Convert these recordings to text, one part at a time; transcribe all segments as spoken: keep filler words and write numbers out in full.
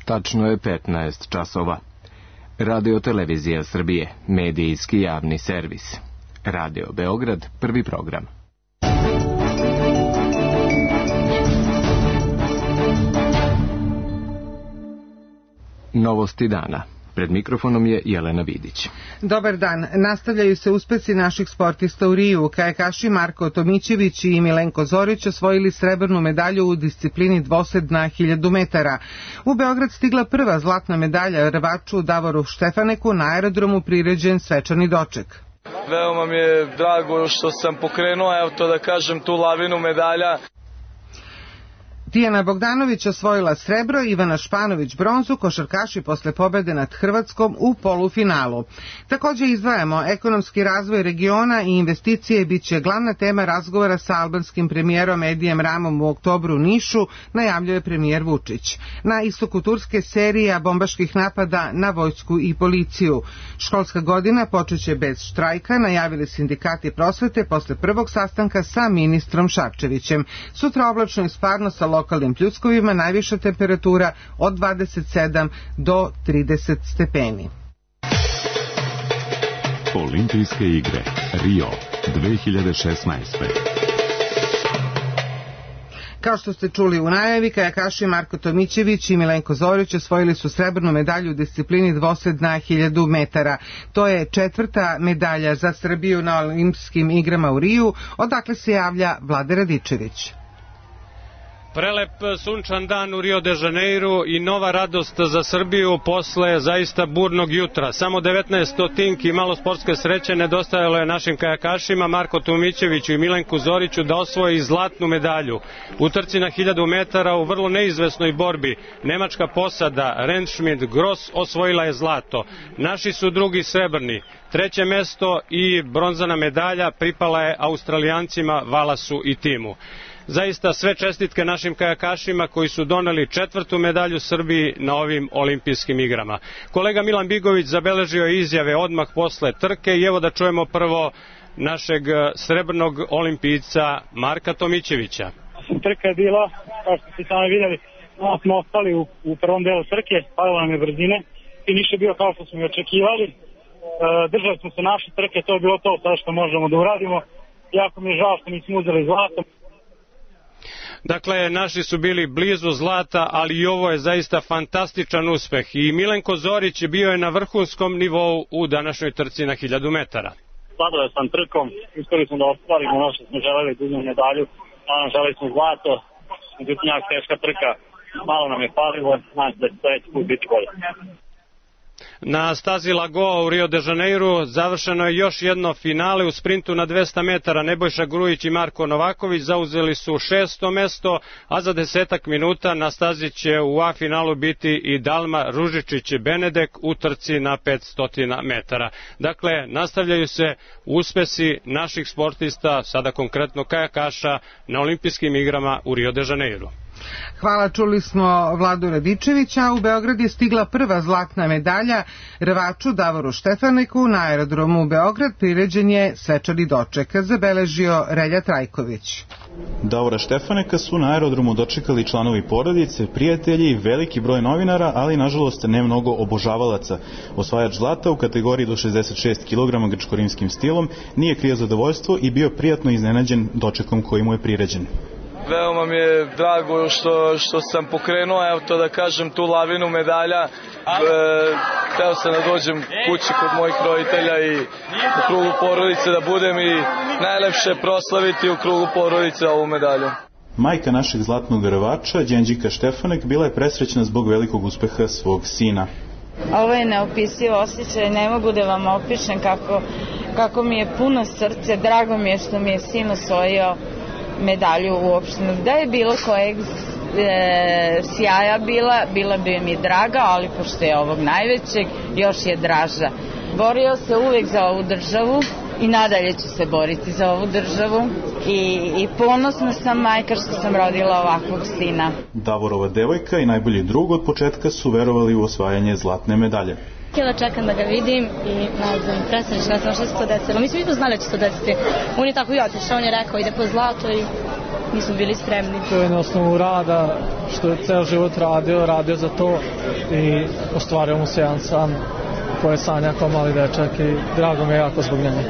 Tačno je petnaest časova. Radio Televizija Srbije, medijski javni servis. Radio Beograd, prvi program. Novosti dana. Pred mikrofonom je Jelena Vidić. Dobar dan. Nastavljaju se uspesi naših sportista u Riju. Kajakaši Marko Tomićević i Milenko Zorić osvojili srebrnu medalju u disciplini dvosed na hiljadu metara. U Beograd stigla prva zlatna medalja rvaču Davoru Štefaneku, na aerodromu priređen svečani doček. Veoma mi je drago što sam pokrenuo, evo to da kažem, tu lavinu medalja. Tijana Bogdanović osvojila srebro, Ivana Španović bronzu, košarkaši posle pobede nad Hrvatskom u polufinalu. Također izdvajamo ekonomski razvoj regiona i investicije biće glavna tema razgovora sa albanskim premijerom Edijem Ramom u oktobru u Nišu, najavljuje premijer Vučić. Na istoku Turske serija bombaških napada na vojsku i policiju. Školska godina počeće bez štrajka, najavili sindikati prosvete posle prvog sastanka sa ministrom Šarčevićem. Sutra oblačno i sparno sa lokalnim pljuskovima, najviša temperatura od dvadeset sedam do trideset stepeni. Olimpijske igre Rio dve hiljade šesnaeste. Kao što ste čuli u najavi, kajakaši Marko Tomićević i Milenko Zorić osvojili su srebrnu medalju u disciplini dvosed na hiljadu metara. To je četvrta medalja za Srbiju na olimpijskim igrama u Riju, odakle se javlja Vlade Radičević. Prelep sunčan dan u Rio de Janeiru i nova radost za Srbiju posle zaista burnog jutra. Samo devetnaest stotinki i malo sportske sreće nedostajalo je našim kajakašima Marko Tomićeviću i Milenku Zoriću da osvoji zlatnu medalju. U trci na hiljadu metara u vrlo neizvesnoj borbi nemačka posada Rentschmidt Gross osvojila je zlato. Naši su drugi srebrni. Treće mesto i bronzana medalja pripala je Australijancima Valasu i timu. Zaista sve čestitke našim kajakašima koji su doneli četvrtu medalju Srbiji na ovim olimpijskim igrama. Kolega Milan Bigović zabeležio je izjave odmah posle trke i evo da čujemo prvo našeg srebrnog olimpijca Marka Tomićevića. Trka je bila, kao što ste sami vidjeli, smo ostali u, u prvom delu trke, padalo nam je brzine, finiš je bio kao što smo i očekivali, e, držali smo se naše trke, to je bilo to sada što možemo da uradimo, jako mi je žao što nismo uzeli zlato. Dakle, naši su bili blizu zlata, ali i ovo je zaista fantastičan uspeh. I Milenko Zorić bio je na vrhunskom nivou u današnjoj trci na hiljadu metara. Zadovoljan sam trkom, uspeli smo da ostvarimo ono što smo želeli, da uzmemo medalju, naravno želeli smo zlato, međutim jako teška trka, malo nam je falilo, znači da će sledeći put biti bolje. Na stazi Lagoa u Rio de Janeiru završeno je još jedno finale u sprintu na dvesta metara. Nebojša Grujić i Marko Novaković zauzeli su šesto mesto, a za desetak minuta na stazi će u A finalu biti i Dalma Ružičić-Benedek u trci na petsto metara. Dakle, nastavljaju se uspesi naših sportista, sada konkretno kajakaša, na olimpijskim igrama u Rio de Janeiru. Hvala, čuli smo Vladu Radičevića. U Beograd je stigla prva zlatna medalja rvaču Davoru Štefaneku, na aerodromu u Beograd priređen je svečani doček, zabeležio Relja Trajković. Davora Štefaneka su na aerodromu dočekali članovi porodice, prijatelji i veliki broj novinara, ali nažalost ne mnogo obožavalaca. Osvajač zlata u kategoriji do šezdeset šest kilograma grčko-rimskim stilom nije krio zadovoljstvo i bio prijatno iznenađen dočekom koji mu je priređen. Veoma mi je drago što, što sam pokrenuo, evo to da kažem, tu lavinu medalja. E, teo sam da dođem kući kod mojih roditelja i u krugu porodice da budem i najlepše proslaviti u krugu porodice ovu medalju. Majka našeg zlatnog rvača, Đenđika Štefanek, bila je presrećna zbog velikog uspeha svog sina. Ovo je neopisivo osjećaj, ne mogu da vam opišem kako, kako mi je puno srce, drago mi je što mi je sin osvojio medalju uopšteno. Da je bilo kojeg e, sjaja bila, bila bi mi draga, ali pošto je ovog najvećeg, još je draža. Borio se uvek za ovu državu i nadalje ću se boriti za ovu državu i, i ponosna sam majka što sam rodila ovakvog sina. Davorova devojka i najbolji drug od početka su verovali u osvajanje zlatne medalje. Htjela čekam da ga vidim i ne znam, presrećna sam što se to desilo. Mi smo i to znali da će se to desiti. On je tako i otišao, on je rekao ide po zlato i nismo bili spremni. To je na osnovu rada, što je ceo život radio, radio za to i ostvario mu se jedan san koje sanja kao mali dečak i drago mi je jako zbog njega.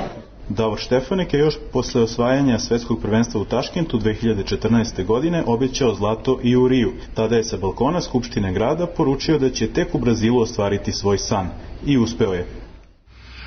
Davor Štefanek je još posle osvajanja svetskog prvenstva u Taškentu dve hiljade četrnaeste. godine obećao zlato i u Riju. Tada je sa balkona Skupštine grada poručio da će tek u Brazilu ostvariti svoj san. I uspeo je.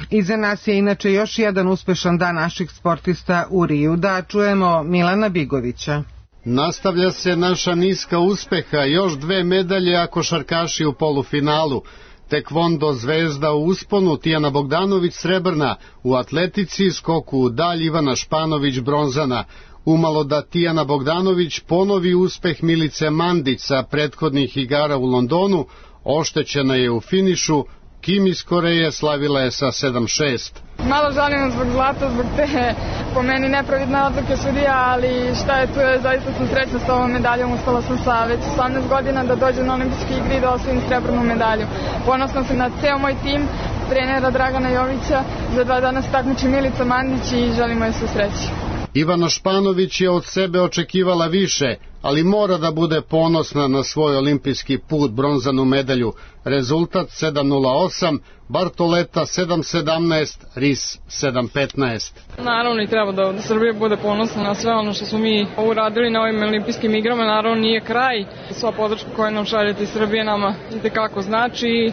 Iza nas je inače još jedan uspešan dan naših sportista u Riju. Da čujemo Milana Bigovića. Nastavlja se naša niska uspeha, još dve medalje, a košarkaši u polufinalu. Tekvondo Zvezda u usponu, Tijana Bogdanović srebrna, u atletici skoku u dalj Ivana Španović bronzana. Umalo da Tijana Bogdanović ponovi uspeh Milice Mandić sa prethodnih igara u Londonu, oštećena je u finišu. Kim iz Koreje slavila je sa sedam šest. Malo žalim zbog zlata, zbog te po meni nepravidne odluke sudija, ali šta je tu, je, zaista sam srećna s ovom medaljom, uspela sam sa već osamnaest godina da dođem na olimpijske igre i da osvojim srebrnu medalju. Ponosna sam na ceo moj tim, trenera Dragana Jovića, za dva dana se takmiči Milica Mandić i želimo joj sve sreće. Ivana Španović je od sebe očekivala više, ali mora da bude ponosna na svoj olimpijski put, bronzanu medalju. Rezultat sedam nula osam, Bartoleta sedam sedamnaest, Ris sedam petnaest. Naravno i treba da Srbija bude ponosna na sve ono što smo mi uradili na ovim olimpijskim igrama. Naravno nije kraj. Sva podrška koju nam šaljete iz Srbije nama itekako znači.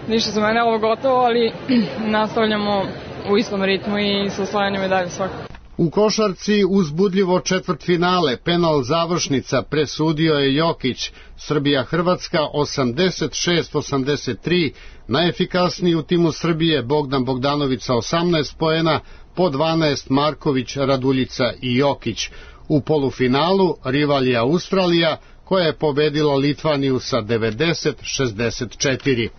Ništa za mene ovo gotovo, ali nastavljamo u istom ritmu i sa osvajanjem medalje svakako. U košarci uzbudljivo četvrtfinale, penal završnica, presudio je Jokić. Srbija-Hrvatska osamdeset šest osamdeset tri, najefikasniji u timu Srbije Bogdan Bogdanović sa osamnaest poena, po dvanaest Marković, Raduljica i Jokić. U polufinalu rival je Australija, koja je pobedila Litvaniju sa devedeset šezdeset četiri.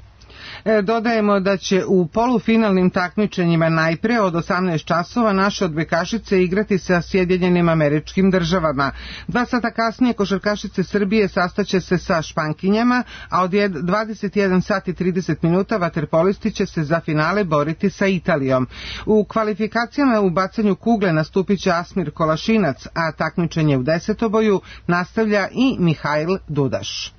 Dodajemo da će u polufinalnim takmičenjima najpre od osamnaest časova naše odbojkašice igrati sa Sjedinjenim Američkim Državama. Dva sata kasnije košarkašice Srbije sastaće se sa Špankinjama, a od dvadeset jedan sat i trideset minuta vaterpolisti će se za finale boriti sa Italijom. U kvalifikacijama u bacanju kugle nastupit će Asmir Kolašinac, a takmičenje u desetoboju nastavlja i Mihajl Dudaš.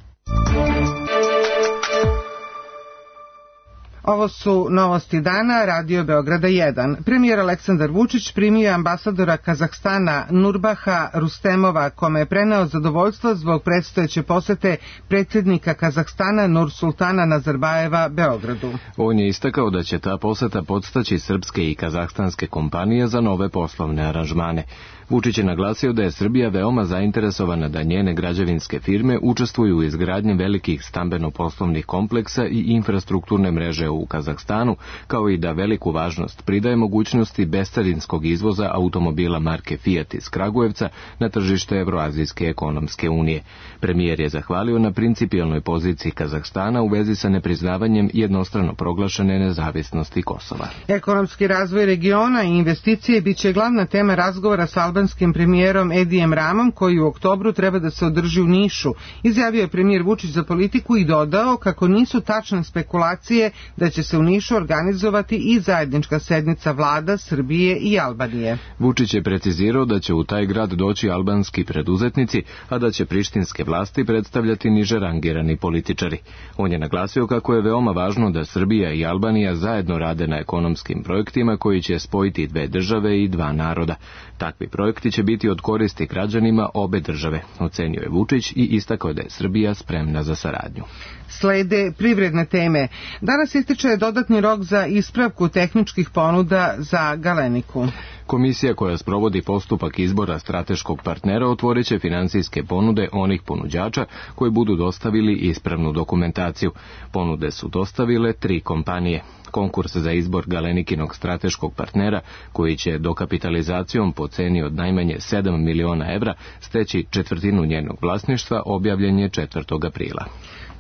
Ovo su novosti dana, Radio Beograda jedan. Premijer Aleksandar Vučić primio ambasadora Kazahstana Nurbaha Rustemova, kome je preneo zadovoljstvo zbog predstojeće posete predsjednika Kazahstana Nursultana Nazarbajeva Beogradu. On je istakao da će ta poseta podstaći srpske i kazahstanske kompanije za nove poslovne aranžmane. Vučić je naglasio da je Srbija veoma zainteresovana da njene građevinske firme učestvuju u izgradnji velikih stambeno-poslovnih kompleksa i infrastrukturne mreže u Kazahstanu, kao i da veliku važnost pridaje mogućnosti bescarinskog izvoza automobila marke Fiat iz Kragujevca na tržište Evroazijske ekonomske unije. Premijer je zahvalio na principijelnoj poziciji Kazahstana u vezi sa nepriznavanjem jednostrano proglašene nezavisnosti Kosova. Ekonomski razvoj regiona i investicije biće glavna tema razgovora sa albanskim premijerom Edijem Ramom, koji u oktobru treba da se održi u Nišu, izjavio je premijer Vučić za politiku i dodao kako nisu tačne spekulacije da će se u Nišu organizovati i zajednička sednica vlada Srbije i Albanije. Vučić je precizirao da će u taj grad doći albanski preduzetnici, a da će prištinske vlasti predstavljati niže rangirani političari. On je naglasio kako je veoma važno da Srbija i Albanija zajedno rade na ekonomskim projektima koji će spojiti dve države i dva naroda. Takvi projekti će biti od koristi građanima obe države, ocenio je Vučić i istakao da je Srbija spremna za saradnju. Slede privredne teme. Danas ističe dodatni rok za ispravku tehničkih ponuda za Galeniku. Komisija koja sprovodi postupak izbora strateškog partnera otvorit će finansijske ponude onih ponuđača koji budu dostavili ispravnu dokumentaciju. Ponude su dostavile tri kompanije. Konkurs za izbor Galenikinog strateškog partnera, koji će dokapitalizacijom po ceni od najmanje sedam miliona evra steći četvrtinu njenog vlasništva, objavljen je četvrtog aprila.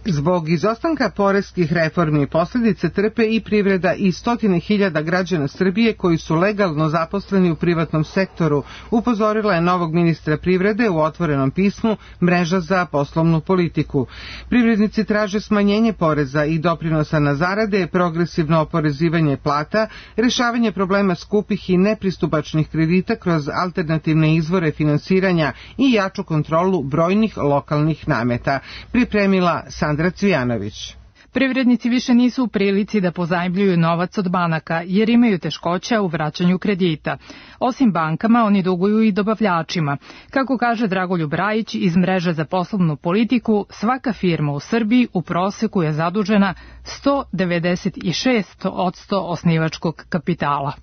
Zbog izostanka poreskih reformi posljedice trpe i privreda i stotine hiljada građana Srbije koji su legalno zaposleni zaposleni u privatnom sektoru, upozorila je novog ministra privrede u otvorenom pismu Mreža za poslovnu politiku. Privrednici traže smanjenje poreza i doprinosa na zarade, progresivno oporezivanje plata, rešavanje problema skupih i nepristupačnih kredita kroz alternativne izvore finansiranja i jaču kontrolu brojnih lokalnih nameta, pripremila Sandra Cvijanović. Privrednici više nisu u prilici da pozajmljuju novac od banaka jer imaju teškoća u vraćanju kredita. Osim bankama, oni duguju i dobavljačima. Kako kaže Dragoljub Rajić iz Mreže za poslovnu politiku, svaka firma u Srbiji u proseku je zadužena sto devedeset šest posto osnivačkog kapitala.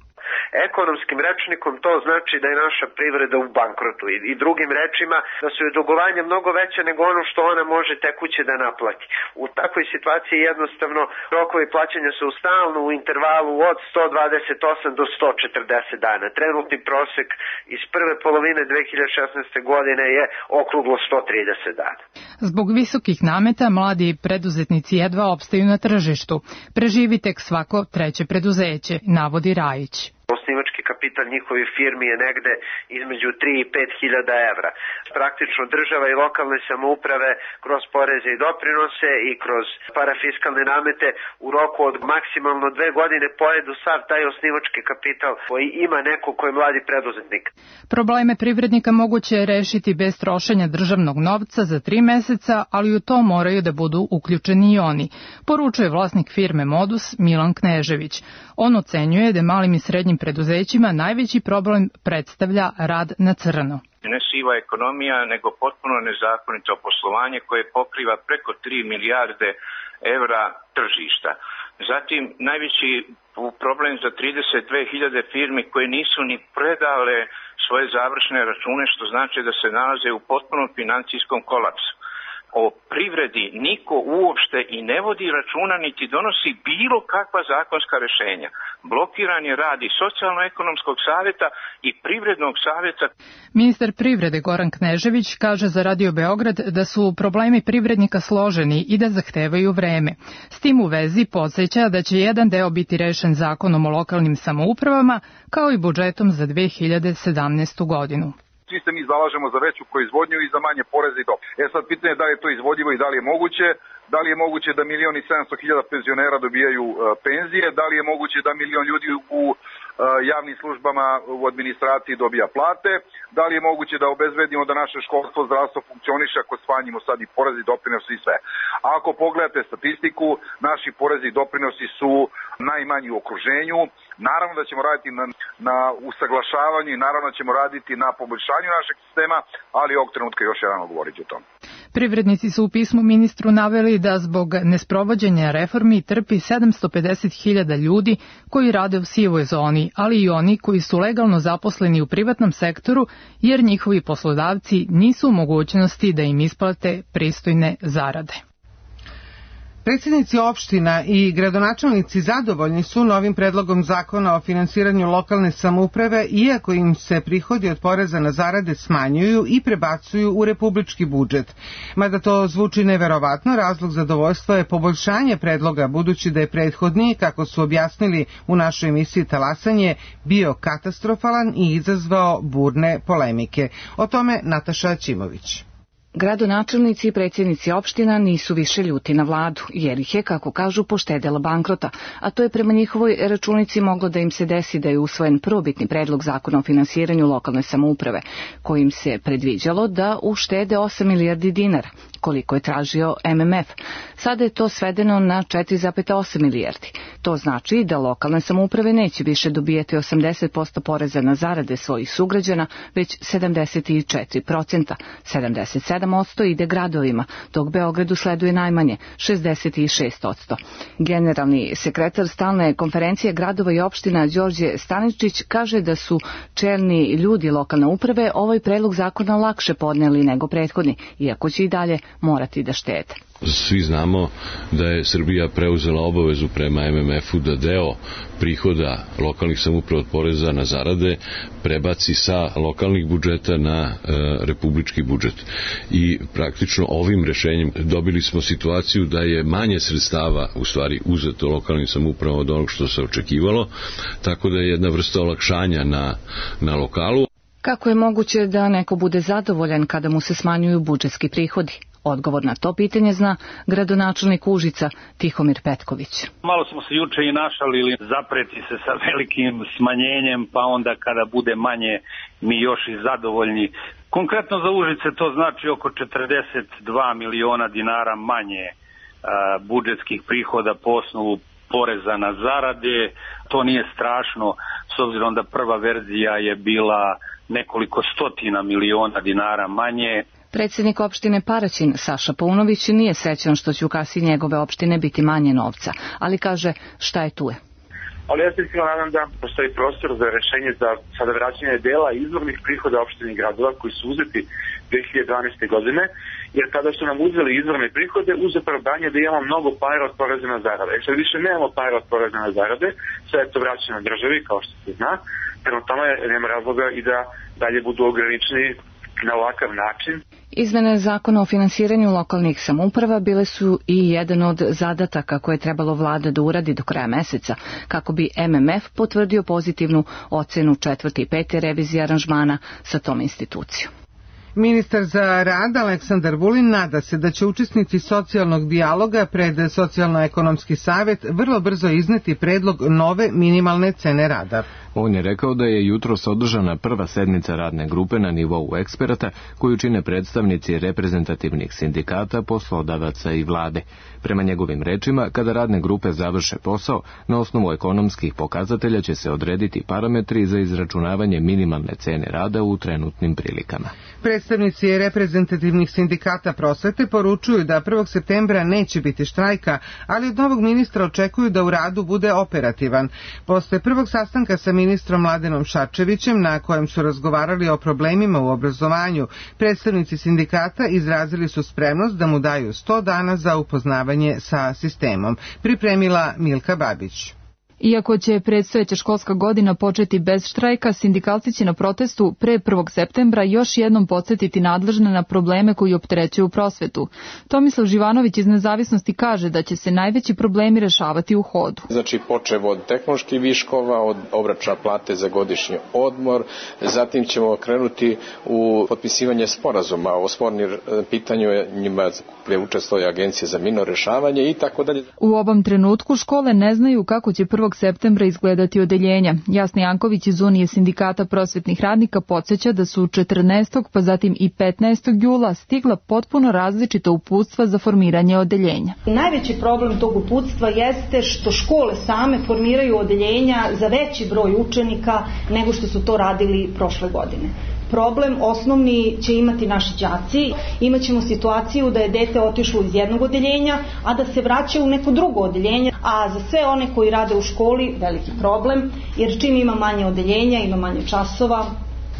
Ekonomskim rečnikom to znači da je naša privreda u bankrotu i, i drugim rečima da su je dugovanja mnogo veće nego ono što ona može tekuće da naplati. U takvoj situaciji jednostavno rokovi plaćanja su stalno u intervalu od sto dvadeset osam do sto četrdeset dana. Trenutni prosek iz prve polovine dve hiljade šesnaeste. godine je okruglo sto trideset dana. Zbog visokih nameta mladi preduzetnici jedva opstaju na tržištu. Preživi tek svako treće preduzeće, navodi Rajić. Osnivački kapital njihovih firmi je negde između tri i pet hiljada evra. Praktično država i lokalne samouprave kroz poreze i doprinose i kroz parafiskalne namete u roku od maksimalno dve godine pojedu sav taj osnivački kapital koji ima neko ko je mladi preduzetnik. Probleme privrednika moguće je rešiti bez trošenja državnog novca za tri meseca, ali u to moraju da budu uključeni i oni, poručuje vlasnik firme Modus Milan Knežević. On ocenjuje da malim i srednjim preduzećima najveći problem predstavlja rad na crno. Ne siva ekonomija, nego potpuno nezakonito poslovanje koje pokriva preko tri milijarde evra tržišta. Zatim, najveći problem za trideset dve hiljade firmi koje nisu ni predale svoje završne račune, što znači da se nalaze u potpunom financijskom kolapsu. O privredi niko uopšte i ne vodi računa niti donosi bilo kakva zakonska rešenja. Blokiran je rad i socijalno-ekonomskog savjeta i privrednog savjeta. Ministar privrede Goran Knežević kaže za Radio Beograd da su problemi privrednika složeni i da zahtevaju vreme. S tim u vezi podsjeća da će jedan deo biti rešen zakonom o lokalnim samoupravama kao i budžetom za dve hiljade sedamnaestu. godinu. Svi se mi zalažemo za veću proizvodnju i za manje poreze i doprinosa. E sad pitanje je da li je to izvodljivo i da li je moguće, da li je moguće da milion i sedamsto hiljada penzionera dobijaju uh, penzije, da li je moguće da milion ljudi u uh, javnim službama u administraciji dobija plate, da li je moguće da obezbedimo da naše školstvo, zdravstvo funkcioniše ako smanjimo sad i porezi i doprinosi i sve. A ako pogledate statistiku, naši porezi i doprinosi su najmanji u okruženju. Naravno da ćemo raditi na, na usaglašavanju i naravno da ćemo raditi na poboljšanju našeg sistema, ali ovog trenutka još jedan govoriti o tom. Privrednici su u pismu ministru naveli da zbog nesprovođenja reformi trpi sedamsto pedeset hiljada ljudi koji rade u sivoj zoni, ali i oni koji su legalno zaposleni u privatnom sektoru jer njihovi poslodavci nisu u mogućnosti da im isplate pristojne zarade. Predsjednici opština i gradonačelnici zadovoljni su novim predlogom zakona o finansiranju lokalne samouprave, iako im se prihodi od poreza na zarade smanjuju i prebacuju u republički budžet. Mada to zvuči neverovatno, razlog zadovoljstva je poboljšanje predloga, budući da je prethodni, kako su objasnili u našoj emisiji Talasanje, bio katastrofalan i izazvao burne polemike. O tome Nataša Ćimović. Gradonačelnici i predsjednici opština nisu više ljuti na vladu, jer ih je, kako kažu, poštedela bankrota, a to je prema njihovoj računici moglo da im se desi da je usvojen prvobitni predlog zakona o finansiranju lokalne samouprave, kojim se predviđalo da uštede osam milijardi dinara, koliko je tražio M M F. Sada je to svedeno na četiri zarez osam milijardi. To znači da lokalne samouprave neće više dobijati osamdeset posto poreza na zarade svojih sugrađana, već sedamdeset četiri posto, sedamdeset sedam posto ide gradovima, dok Beogradu sleduje najmanje, šezdeset šest posto. Generalni sekretar stalne konferencije gradova i opština Đorđe Staničić kaže da su čelni ljudi lokalne uprave ovaj predlog zakona lakše podneli nego prethodni, iako će i dalje morati da štede. Svi znamo da je Srbija preuzela obavezu prema M M M F-u da deo prihoda lokalnih samouprava od poreza na zarade prebaci sa lokalnih budžeta na e, republički budžet. I praktično ovim rešenjem dobili smo situaciju da je manje sredstava u stvari uzeto lokalnim samoupravama od onog što se očekivalo, tako da je jedna vrsta olakšanja na, na lokalu. Kako je moguće da neko bude zadovoljan kada mu se smanjuju budžetski prihodi? Odgovor na to pitanje zna gradonačelnik Užica Tihomir Petković. Malo smo se juče i našalili zapreti se sa velikim smanjenjem, pa onda kada bude manje mi još i zadovoljni. Konkretno za Užice to znači oko četrdeset dva miliona dinara manje a, budžetskih prihoda po osnovu poreza na zarade. To nije strašno s obzirom da prva verzija je bila nekoliko stotina miliona dinara manje. Predsjednik opštine Paraćin Saša Paunović nije srećan što će u kasi njegove opštine biti manje novca, ali kaže šta je tu je. Ali ja se iskreno nadam da postoji prostor za rešenje za sada vraćanje dela izvornih prihoda opštine i gradova koji su uzeti dve hiljade dvanaeste. godine, jer kada su nam uzeli izvorne prihode uz opravdanje da imamo mnogo para od poreza na zarade. E sad više nemamo para od poreza na zarade, sve je to vraćeno državi kao što se zna, prema tome nema razloga i da dalje budu ograničeni na ovakav način. Izmene zakona o finansiranju lokalnih samouprava bile su i jedan od zadataka koje je trebalo vlada da uradi do kraja meseca, kako bi M M F potvrdio pozitivnu ocenu četvrte i pete revizije aranžmana sa tom institucijom. Ministar za rad Aleksandar Vulin nada se da će učesnici socijalnog dijaloga pred Socijalno-ekonomski savjet vrlo brzo izneti predlog nove minimalne cene rada. On je rekao da je jutros održana prva sednica radne grupe na nivou eksperata koju čine predstavnici reprezentativnih sindikata, poslodavaca i vlade. Prema njegovim rečima, kada radne grupe završe posao, na osnovu ekonomskih pokazatelja će se odrediti parametri za izračunavanje minimalne cene rada u trenutnim prilikama. Predstavnici reprezentativnih sindikata prosvete poručuju da prvog septembra neće biti štrajka, ali od novog ministra očekuju da u radu bude operativan. Posle prvog sastanka sa ministrom Mladenom Šarčevićem, na kojem su razgovarali o problemima u obrazovanju, predstavnici sindikata izrazili su spremnost da mu daju sto dana za upoznavanje sa sistemom. Pripremila Milka Babić. Iako će predstojeća školska godina početi bez štrajka, sindikalci će na protestu pre prvog septembra još jednom podsjetiti nadležne na probleme koji opterećuju prosvetu. Tomislav Živanović iz Nezavisnosti kaže da će se najveći problemi rešavati u hodu. Znači počev od tehnoloških viškova, od obračuna plate za godišnji odmor, zatim ćemo krenuti u potpisivanje sporazuma o spornim pitanjima gde učestvuje Agencija za mirno rešavanje i tako dalje. U ovom trenutku škole ne znaju kako će prvog septembra izgledati odeljenja. Jasna Janković iz Unije sindikata prosvetnih radnika podsjeća da su četrnaestog pa zatim i petnaestog jula stigla potpuno različita uputstva za formiranje odeljenja. Najveći problem tog uputstva jeste što škole same formiraju odeljenja za veći broj učenika nego što su to radili prošle godine. Problem osnovni će imati naši đaci. Imaćemo situaciju da je dete otišlo iz jednog odeljenja, a da se vraća u neko drugo odeljenje, a za sve one koji rade u školi veliki problem, jer čim ima manje odeljenja, ima manje časova,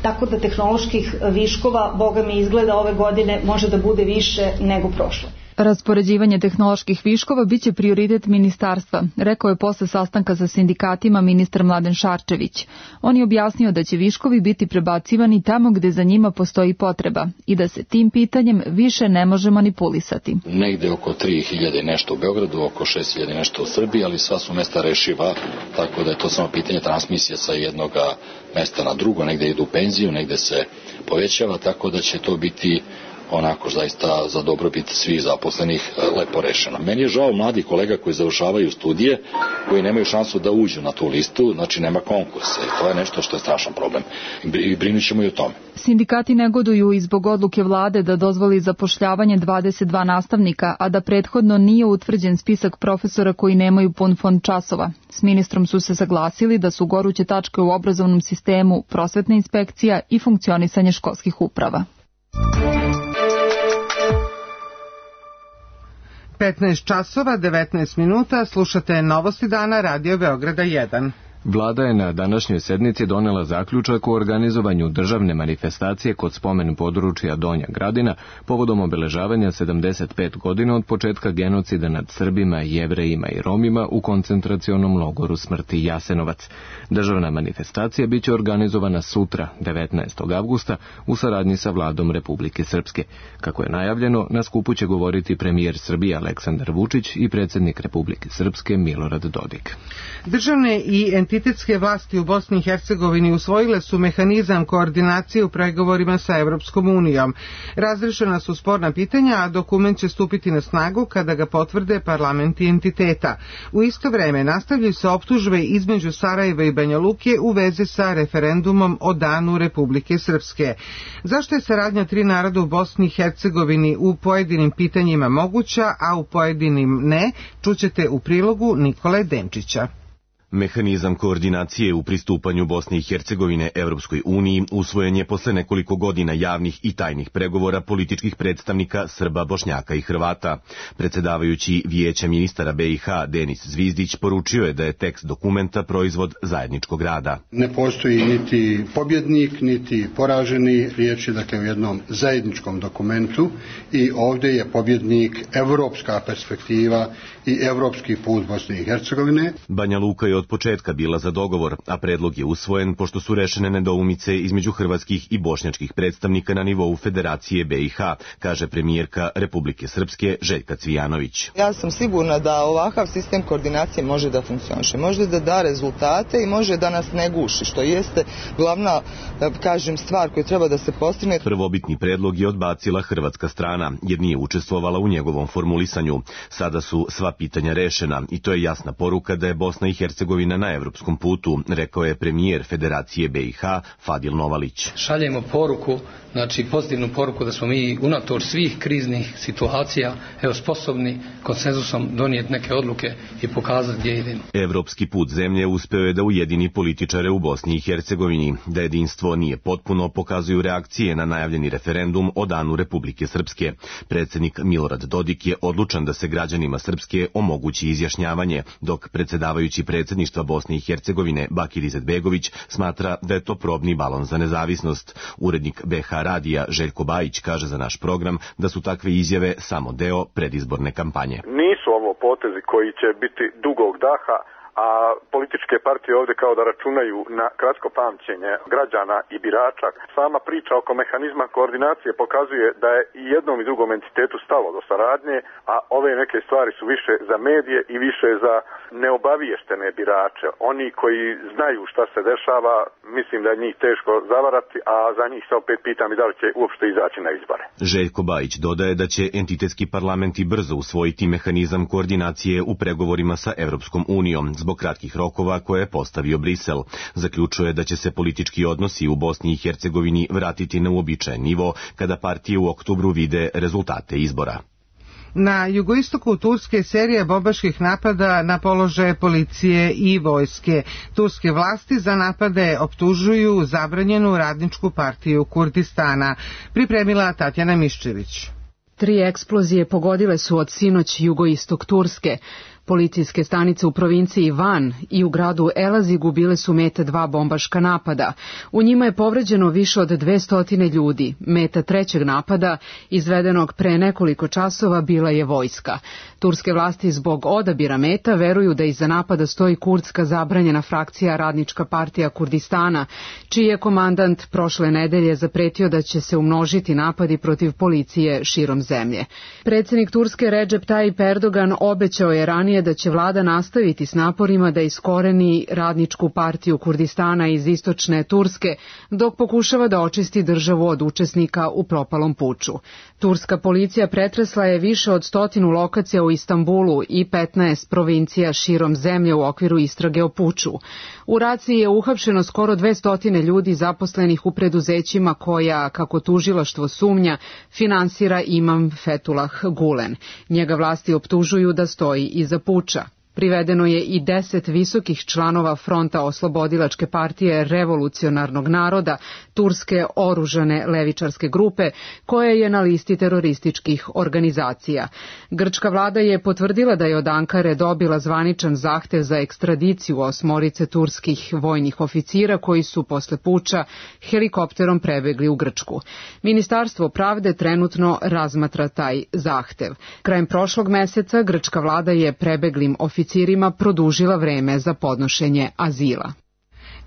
tako da tehnoloških viškova, boga mi izgleda ove godine, može da bude više nego prošle. Raspoređivanje tehnoloških viškova biće prioritet ministarstva, rekao je posle sastanka sa sindikatima ministar Mladen Šarčević. On je objasnio da će viškovi biti prebacivani tamo gde za njima postoji potreba i da se tim pitanjem više ne može manipulisati. Negde oko tri hiljade nešto u Beogradu, oko šest hiljada nešto u Srbiji, ali sva su mesta rešiva, tako da je to samo pitanje transmisije sa jednog mesta na drugo, negde idu u penziju, negde se povećava, tako da će to biti onako zaista za dobrobit svih zaposlenih lepo rešeno. Meni je žao mladih kolega koji završavaju studije, koji nemaju šansu da uđu na tu listu, znači nema konkursa i to je nešto što je strašan problem i brinut ćemo i o tome. Sindikati negoduju i zbog odluke vlade da dozvoli zapošljavanje dvadeset dva nastavnika, a da prethodno nije utvrđen spisak profesora koji nemaju pun fond časova. S ministrom su se saglasili da su goruće tačke u obrazovnom sistemu prosvetna inspekcija i funkcionisanje školskih uprava. petnaest časova, devetnaest minuta, slušate Novosti dana Radio Beograda jedan. Vlada je na današnjoj sednici donela zaključak o organizovanju državne manifestacije kod spomen područja Donja Gradina povodom obeležavanja sedamdeset pet godina od početka genocida nad Srbima, Jevrejima i Romima u koncentracionom logoru smrti Jasenovac. Državna manifestacija biće organizovana sutra, devetnaestog avgusta, u saradnji sa Vladom Republike Srpske. Kako je najavljeno, na skupu će govoriti premijer Srbije Aleksandar Vučić i predsjednik Republike Srpske Milorad Dodik. Državne i entitetske vlasti u Bosni i Hercegovini usvojile su mehanizam koordinacije u pregovorima sa Evropskom unijom. Razrešena su sporna pitanja, a dokument će stupiti na snagu kada ga potvrde parlamenti entiteta. U isto vreme nastavljaju se optužbe između Sarajeva i Banja Luke u vezi sa referendumom o danu Republike Srpske. Zašto je saradnja tri naroda u Bosni i Hercegovini u pojedinim pitanjima moguća, a u pojedinim ne, čućete u prilogu Nikole Denčića. Mehanizam koordinacije u pristupanju Bosne i Hercegovine Evropskoj uniji usvojen je posle nekoliko godina javnih i tajnih pregovora političkih predstavnika Srba, Bošnjaka i Hrvata. Predsjedavajući Vijeća ministara B i H Denis Zvizdić poručio je da je tekst dokumenta proizvod zajedničkog rada. Ne postoji niti pobjednik, niti poraženi, riječ je dakle o jednom zajedničkom dokumentu i ovdje je pobjednik evropska perspektiva i evropski put Bosne i Hercegovine. Banja Luka je od početka bila za dogovor, a predlog je usvojen pošto su rešene nedoumice između hrvatskih i bošnjačkih predstavnika na nivou Federacije B i H, kaže premijerka Republike Srpske Željka Cvijanović. Ja sam sigurna da ovakav sistem koordinacije može da funkcioniše, može da da rezultate i može da nas ne guši, što jeste glavna, da kažem, stvar koju treba da se postigne. Prvobitni predlog je odbacila hrvatska strana, jer nije učestvovala u njegovom formulisanju. Sada su sva pitanja rešena i to je jasna poruka da je Bosna i Hercegovina na evropskom putu, rekao je premijer Federacije B i H Fadil Novalić. Šaljemo poruku, znači pozitivnu poruku da smo mi unatoč svih kriznih situacija evo sposobni konsenzusom donijeti neke odluke i pokazati gdje idemo. Evropski put zemlje uspeo je da ujedini političare u Bosni i Hercegovini. Da jedinstvo nije potpuno pokazuju reakcije na najavljeni referendum o danu Republike Srpske. Predsjednik Milorad Dodik je odlučan da se građanima Srpske omogući izjašnjavanje, dok predsjedavajući predsjedništva Bosne i Hercegovine Bakir Izetbegović smatra da je to probni balon za nezavisnost. Urednik B H radija Željko Bajić kaže za naš program da su takve izjave samo deo predizborne kampanje. Nisu ovo potezi koji će biti dugog daha, a političke partije ovdje kao da računaju na kratko pamćenje građana i birača. Sama priča oko mehanizma koordinacije pokazuje da je i jednom i drugom entitetu stalo do saradnje, a ove neke stvari su više za medije i više za neobaviještene birače. Oni koji znaju šta se dešava, mislim da je njih teško zavarati, a za njih se opet pitam i da li će uopšte izaći na izbore. Željko Bajić dodaje da će entitetski parlamenti brzo usvojiti mehanizam koordinacije u pregovorima sa Evropskom unijom, zbog kratkih rokova koje je postavio Brisel. Zaključuje da će se politički odnosi u Bosni i Hercegovini vratiti na uobičajen nivo kada partije u oktobru vide rezultate izbora. Na jugoistoku Turske serija bombaških napada na položaje policije i vojske. Turske vlasti za napade optužuju zabranjenu radničku partiju Kurdistana. Pripremila Tatjana Miščević. Tri eksplozije pogodile su od sinoć jugoistok Turske. Policijske stanice u provinciji Van i u gradu Elazigu bile su meta dva bombaška napada. U njima je povređeno više od dvesta ljudi. Meta trećeg napada, izvedenog pre nekoliko časova, bila je vojska. Turske vlasti zbog odabira meta veruju da iza napada stoji kurdska zabranjena frakcija Radnička partija Kurdistana, čiji je komandant prošle nedelje zapretio da će se umnožiti napadi protiv policije širom zemlje. Predsjednik Turske Recep Tayyip Erdogan obećao je ranije da će vlada nastaviti s naporima da iskoreni Radničku partiju Kurdistana iz istočne Turske, dok pokušava da očisti državu od učesnika u propalom puču. Turska policija pretresla je više od stotinu lokacija u Istanbulu i petnaest provincija širom zemlje u okviru istrage o puču. U raciji je uhapšeno skoro dvesta ljudi zaposlenih u preduzećima koja, kako tužilaštvo sumnja, finansira imam Fethullah Gulen. Njega vlasti optužuju da stoji iza puča. Privedeno je i deset visokih članova Fronta oslobodilačke partije revolucionarnog naroda, turske oružane levičarske grupe, koja je na listi terorističkih organizacija. Grčka vlada je potvrdila da je od Ankare dobila zvaničan zahtev za ekstradiciju osmorice turskih vojnih oficira koji su posle puča helikopterom prebegli u Grčku. Ministarstvo pravde trenutno razmatra taj zahtev. Krajem prošlog meseca grčka vlada je prebeglim oficirima produžila vreme za podnošenje azila.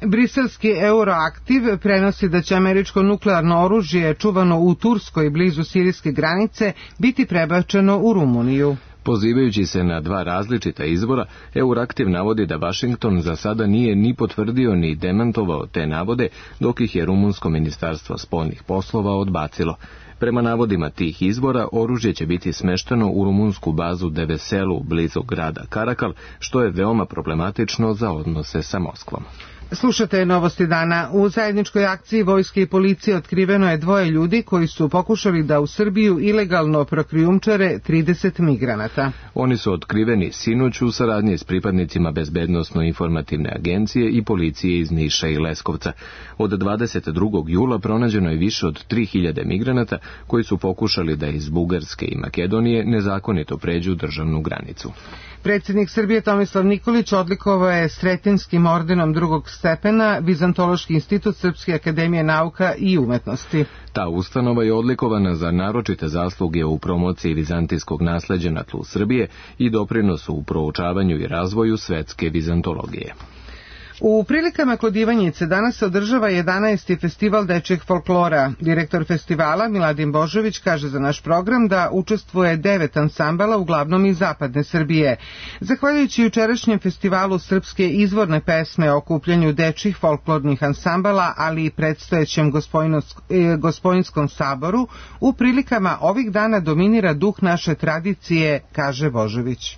Briselski Euroaktiv prenosi da će američko nuklearno oružje čuvano u Turskoj blizu sirijske granice biti prebačeno u Rumuniju. Pozivajući se na dva različita izvora, Euraktiv navodi da Vašington za sada nije ni potvrdio ni demantovao te navode, dok ih je rumunsko ministarstvo spoljnih poslova odbacilo. Prema navodima tih izvora, oružje će biti smešteno u rumunsku bazu de Veselu blizu grada Karakal, što je veoma problematično za odnose sa Moskvom. Slušate novosti dana. U zajedničkoj akciji vojske i policije otkriveno je dvoje ljudi koji su pokušali da u Srbiju ilegalno prokrijumčare trideset migranata. Oni su otkriveni sinoć u saradnji s pripadnicima Bezbednosno-informativne agencije i policije iz Niša i Leskovca. Od dvadeset drugog jula pronađeno je više od tri hiljade migranata koji su pokušali da iz Bugarske i Makedonije nezakonito pređu državnu granicu. Predsjednik Srbije Tomislav Nikolić odlikovao je Sretinskim ordenom drugog stepena Vizantološki institut Srpske akademije nauka i umetnosti. Ta ustanova je odlikovana za naročite zasluge u promociji vizantijskog nasleđa na tlu Srbije i doprinosu u proučavanju i razvoju svetske vizantologije. U prilikama kod Ivanjice danas se održava jedanaesti festival dečjeg folklora. Direktor festivala Miladin Božović kaže za naš program da učestvuje devet ansambala, uglavnom iz zapadne Srbije. Zahvaljujući jučerašnjem festivalu srpske izvorne pesme o okupljanju dečjih folklornih ansambala, ali i predstojećem Gospojinskom saboru, u prilikama ovih dana dominira duh naše tradicije, kaže Božović.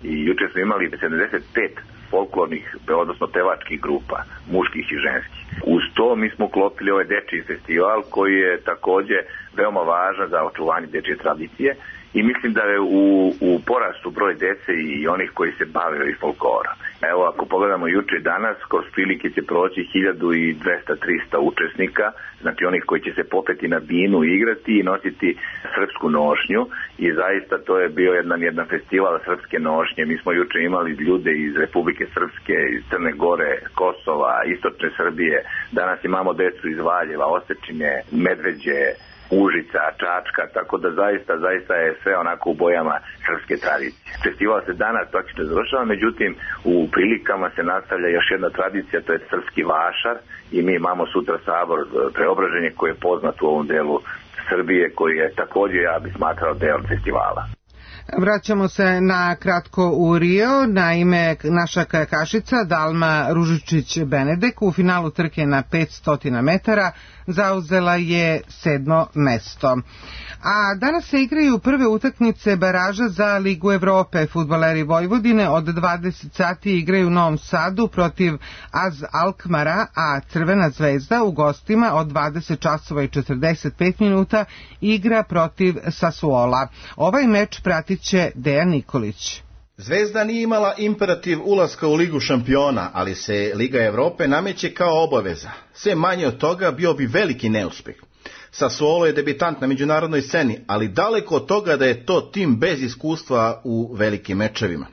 I juče smo imali sedamdeset pet folklornih, odnosno pevačkih grupa, muških i ženskih. Uz to mi smo uklopili ovaj dečiji festival koji je takođe veoma važan za očuvanje dečije tradicije i mislim da je u, u porastu broj dece i onih koji se bave i folklorom. Evo, ako pogledamo juče i danas, kroz prilike će proći hiljadu dvesta do trista učesnika, znači onih koji će se popeti na binu, igrati i nositi srpsku nošnju i zaista to je bio jedan, jedan festival srpske nošnje. Mi smo juče imali ljude iz Republike Srpske, iz Crne Gore, Kosova, Istočne Srbije, danas imamo decu iz Valjeva, Osečine, Medveđe, Užica, Čačka, tako da zaista, zaista je sve onako u bojama srpske tradicije. Festival se danas praktično završava, međutim u prilikama se nastavlja još jedna tradicija, to je srpski vašar i mi imamo sutra sabor Preobraženje koji je poznat u ovom delu Srbije, koji je također, ja bih smatrao, deo festivala. Vraćamo se na kratko u Rio. Naime, naša kajakašica Dalma Ružičić-Benedek u finalu trke na petsto metara zauzela je sedmo mesto. A danas se igraju prve utakmice baraža za Ligu Evrope. Fudbaleri Vojvodine od dvadeset sati igraju u Novom Sadu protiv Az Alkmara, a Crvena zvezda u gostima od dvadeset časova i četrdeset pet minuta igra protiv Sassuola. Ovaj meč pratit će Dejan Nikolić. Zvezda nije imala imperativ ulaska u Ligu šampiona, ali se Liga Evrope nameće kao obaveza. Sve manje od toga bio bi veliki neuspeh. Sassuolo je debitant na međunarodnoj sceni, ali daleko od toga da je to tim bez iskustva u velikim mečevima.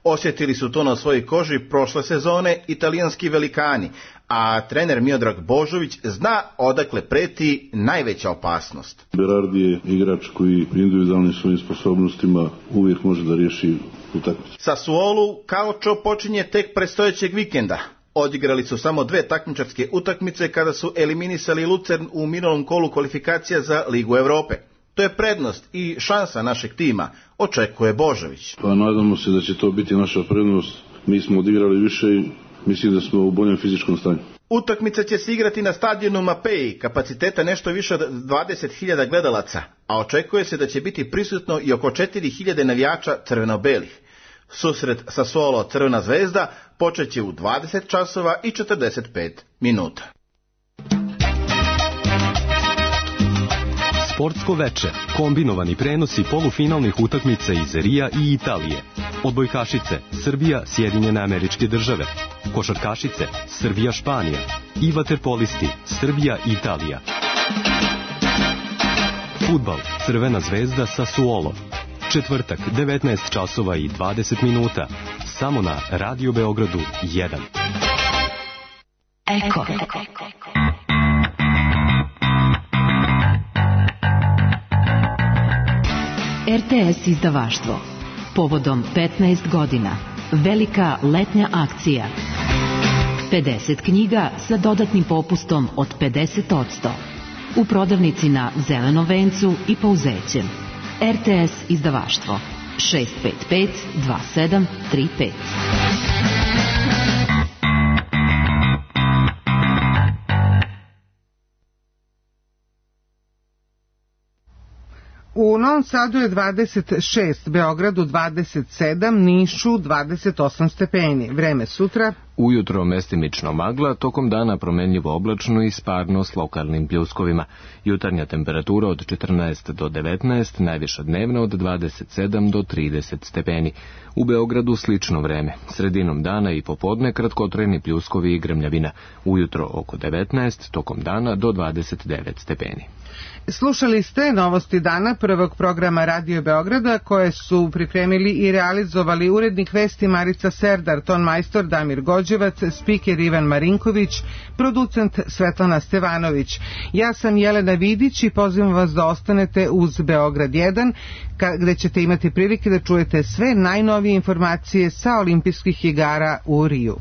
Osjetili su to na svojoj koži prošle sezone italijanski velikani, a trener Miodrag Božović zna odakle preti najveća opasnost. Berardi je igrač koji individualnim svojim sposobnostima uvijek može da riješi utakmicu. Sassuolu Calcio počinje tek predstojećeg vikenda. Odigrali su samo dve takmičarske utakmice kada su eliminisali Lucern u minulom kolu kvalifikacija za Ligu Evrope. To je prednost i šansa našeg tima, očekuje Božović. Pa nadamo se da će to biti naša prednost. Mi smo odigrali više i mislim da smo u boljem fizičkom stanju. Utakmica će se igrati na stadionu Mapei, kapaciteta nešto više od dvadeset hiljada gledalaca, a očekuje se da će biti prisutno i oko četiri hiljade navijača crveno-belih. Susret Sassuolo Crvena zvezda počeće u dvadeset časova i četrdeset pet minuta. Sportsko veče, kombinovani prenosi polufinalnih utakmica iz Rija i Italije. Odbojkašice, Srbija, Sjedinjene Američke Države. Košarkašice, Srbija, Španija. I vaterpolisti, Srbija, Italija. Fudbal, Crvena zvezda Sassuolo. Četvrtak, devetnaest časova i dvadeset minuta. Samo na Radio Beogradu jedan. Eko. R T S izdavaštvo. Povodom petnaest godina. Velika letnja akcija. pedeset knjiga sa dodatnim popustom od pedeset posto. U prodavnici na Zelenom vencu i Pauzećem. R T S izdavaštvo. šest pet pet dva sedam tri pet. U Novom Sadu je dvadeset šest, Beogradu dvadeset sedam, Nišu dvadeset osam stepeni. Vreme sutra. Ujutro mestimično magla, tokom dana promenljivo oblačno i sparno s lokalnim pljuskovima. Jutarnja temperatura od četrnaest do devetnaest, najviša dnevna od dvadeset sedam do trideset stepeni. U Beogradu slično vreme. Sredinom dana i popodne kratkotrajni pljuskovi i grmljavina. Ujutro oko devetnaest, tokom dana do dvadeset devet stepeni. Slušali ste novosti dana prvog programa Radio Beograda koje su pripremili i realizovali urednik vesti Marica Serdar, tonmajstor Damir Gođevac, spiker Ivan Marinković, producent Svetlana Stevanović. Ja sam Jelena Vidić i pozivam vas da ostanete uz Beograd jedan, gde ćete imati prilike da čujete sve najnovije informacije sa olimpijskih igara u Riju.